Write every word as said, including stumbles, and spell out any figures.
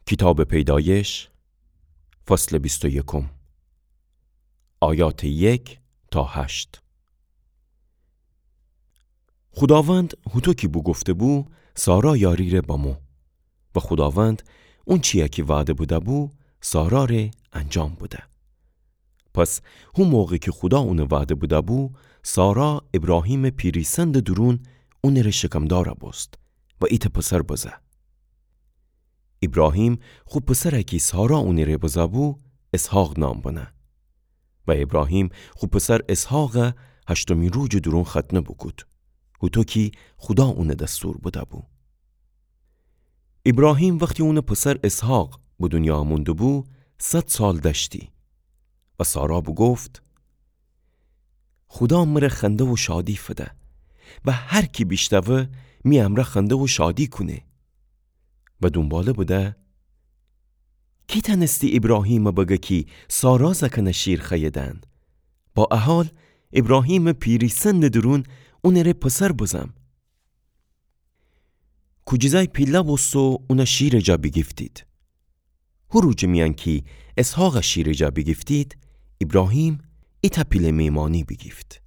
کیتابٚ پیدایش، فصلٚ بیست و یکم، آیاتٚ یک تا هشت. خوداوند هوطو کی بوگفته‌بو، سارا یاری ره بمو. و خوداوند اونچیی کی وعده بده‌بو، سارا ره انجام بده. پس هو موقع کی خودا اونه وعده بده‌بو، سارا ایبراهیمٚ پیریسندٚ دورون اونٚ ره شکمدار بوست و ایتأ پسر بزه. ایبراهیم خو پسر کی سارا اونٚ ره بزه‌بو، اسحاق نام بنه. و ایبراهیم خو پسر اسحاق هشتمی روجٚ دورون ختنه بوکود، هوطو کی خودا اونه دستور بده‌بو. ایبراهیم وختی اونٚ پسر اسحاق به دونیا امون دوبو، صد سال دأشتی. و سارا بوگفت: خودا مره خنده و شادی فده و هر کی بیشنوه می امرأ خنده و شادی کونه. و دونباله بده: کی تأنستی ایبراهیم بگه کی سارا زأکأن شیر خوأیه دن؟ با ا حال ایبراهیمٚ پیریسندٚ دورون اونٚ ره پسر بزم. کوجیزأی پیله بوست و اون شیرٚ جا بیگیفتید. هو روجٚ میأن کی اسحاق شیرٚ جا بیگیفتید، ایبراهیم ایتأ پیله میمانی بیگیفت.